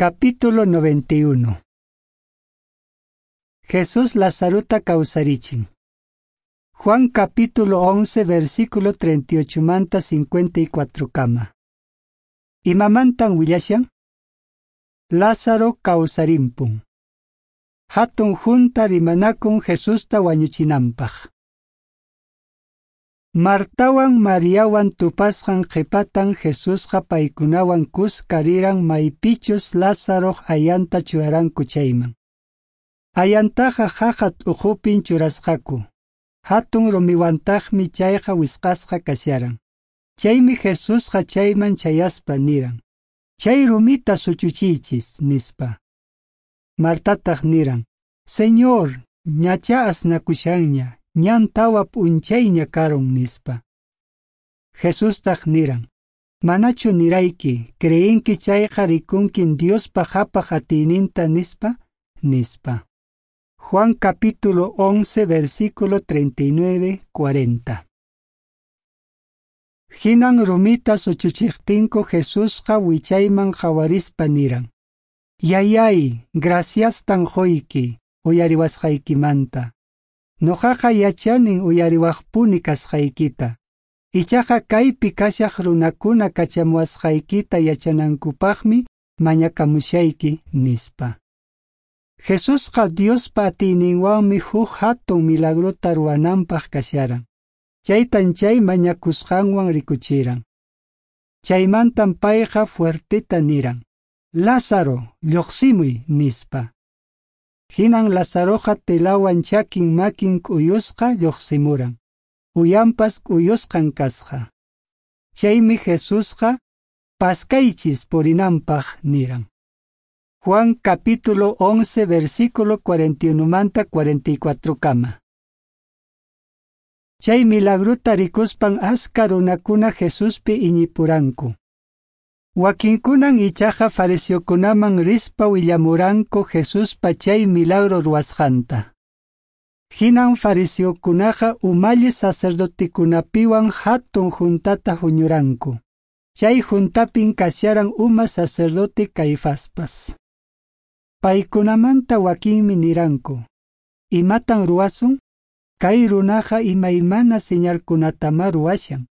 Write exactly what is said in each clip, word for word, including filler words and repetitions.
Capítulo noventa y uno. Jesús Lazarota kawsarichin. Juan capítulo once versículo treinta y ocho manta cincuenta y cuatro kama. Imamantan willashan? Lázaro kawsarimpun. Hatun junta rimanakun Jesusta wañuchinanpaq. Martawan Mariawan tupasqan qhipatan Jesusqa paykunawan kuska riran maypichus Lázaroq ayanta churaranku chayman. Ayantaqa haqa t'uqupin churasqaku. Hatun rumiwantaqmi chayqa wisqasqa kasharan. Chaymi Jesusqa chayman chayaspa niran: Chay rumita suchuchiychis, nispa. Martataq niran: Señor, ñacha asnakushanña, ñan tawa p'unchayña karun, nispa. Jesustaq niran: Manachu nirayki, creenki chayqa rikunkin Diospa qhapaq atiyninta, nispa, nispa. Juan capítulo once versículo treinta y nueve cuarenta. Hinan rumita suchuchiqtinku Jesusqa wichayman qhawarispa niran: Yayay, graciastan qoyki uyariwasqaykimanta. Noqaqa yachanin uyariwaqpuni kasqaykita. Ichaqa kaypi kashaq runakuna kachamuwasqaykita yachanankupaqmi mañakamushayki, nispa. Jesusqa Diospa atiyninwanmi huk hatun milagrota ruwananpaq kasharan. Chaytan chay mañakusqanwan rikuchiran. Chaymantan payqa fuerteta niran: Lázaro, lluqsimuy, nispa. Hinan Lázaroqa telawan chakin makin k'uyusqa lluqsimuran. Uyanpas k'uyusqan kasqa. Chaymi Jesusqa paskaychis purinanpaq niran. Juan capítulo once versículo cuarenta y uno manta cuarenta y cuatro kama. Chay milagrota rikuspan aska runakuna Jesuspi iñipuranku. Wakinkunan ichaqa fariseokunaman rispa willamuranku Jesuspa chay milagro ruwasqanta. Hinan fariseokunaqa umalli sacerdotekunapiwan hatun juntata huñuranku. Chay juntapin kasharan uma sacerdote Caifaspas. Paykunamanta wakinmi niranku: Imatan ruwasun? Kay runaqa imaymana señalkunatama ruwashan.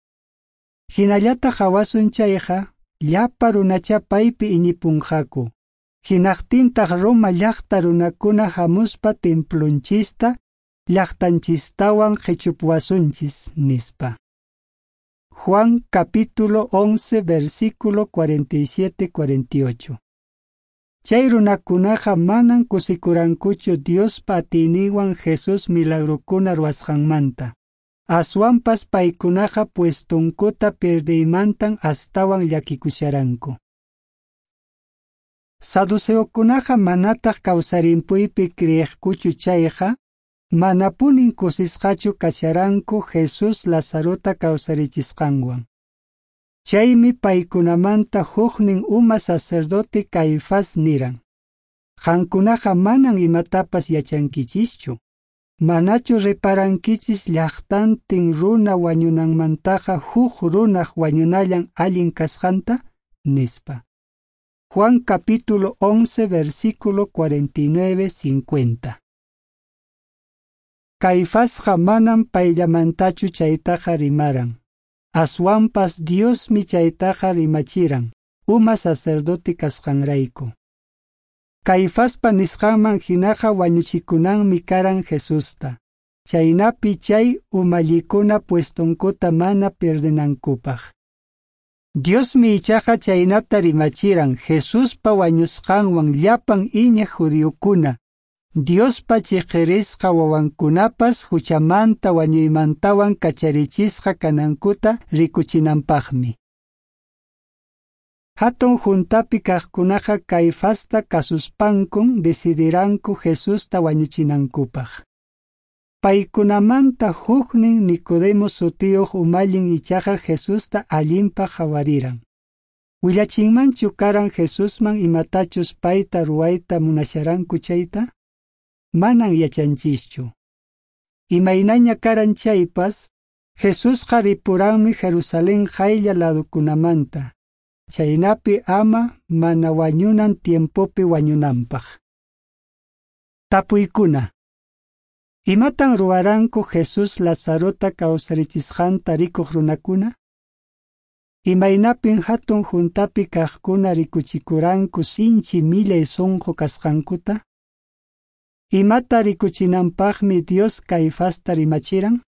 Hinallata hawasun chayqa, llapa runacha paypi iñipunqaku. Hinaqtintaq Roma llaqta runakuna hamuspa templonchista, llaqtanchistawan qhichupuwasunchis, nispa. Juan capítulo once versículo cuarenta y siete cuarenta y ocho. Chay runakunaqa manan kusikurankuchu Diospa atiyninwan Jesús milagrokuna ruwasqanmanta. Aswanpas paykunaqa puestunkuta pierdeymantan astawan llakikusharanku. Saduceokunaqa manataq kawsarimpuypi creeqkuchu chayqa, manapunin kusisqachu kasharanku Jesús Lazarota kawsarichisqanwan. Chaymi paykunamanta huknin uma sacerdote Caifás niran: Qankunaqa manan imatapas yachankichischu. Manachu reparankichis llaqtantin runa wañunanmantaqa huk runaq wañunallan allin kasqanta, nispa. Juan capítulo once versículo cuarenta y nueve cincuenta. Caifasqa manan payllamantachu chaytaqa rimaran. Aswanpas Diosmi chaytaqa rimachiran, uma sacerdote kasqanrayku. Caifaspa nisqanman hinaqa wañuchikunanmi karan Jesusta, chaynapi chay umallikuna puestunkuta mana pierdenankupaq. Diosmi ichaqa chaynata rimachiran Jesuspa wañusqanwan llapan iñiq judíokuna, Diospa chiqirisqa wawankunapas huchamanta wañuymantawan kacharichisqa kanankuta rikuchinanpaqmi. Hatun juntapi kaqkunaqa Caifasta kasuspankun decidiranku Jesusta wañuchinankupaq. Paykunamanta huknin Nicodemo sutiyuq umallin ichaqa Jesusta allinpaq qhawariran. Willachinmanchu karan Jesusman imatachus payta ruwayta munasharanku chayta? Manan yachanchischu. Imaynaña karan chaypas, Jesusqa ripuranmi Jerusalén qaylla ladukunamanta. Chhaynapi ama mana wañunan tiempopi wañunanpaq. Tapuykuna. Imatan ruwaranku Jesús Lazarota kawsarichisqanta rikuq runakuna? Imaynapin hatun juntapi kaqkuna rikuchikuranku sinchi millay sonqo kasqankuta? Imata rikuchinanpaqmi Dios Caifasta rimachiran?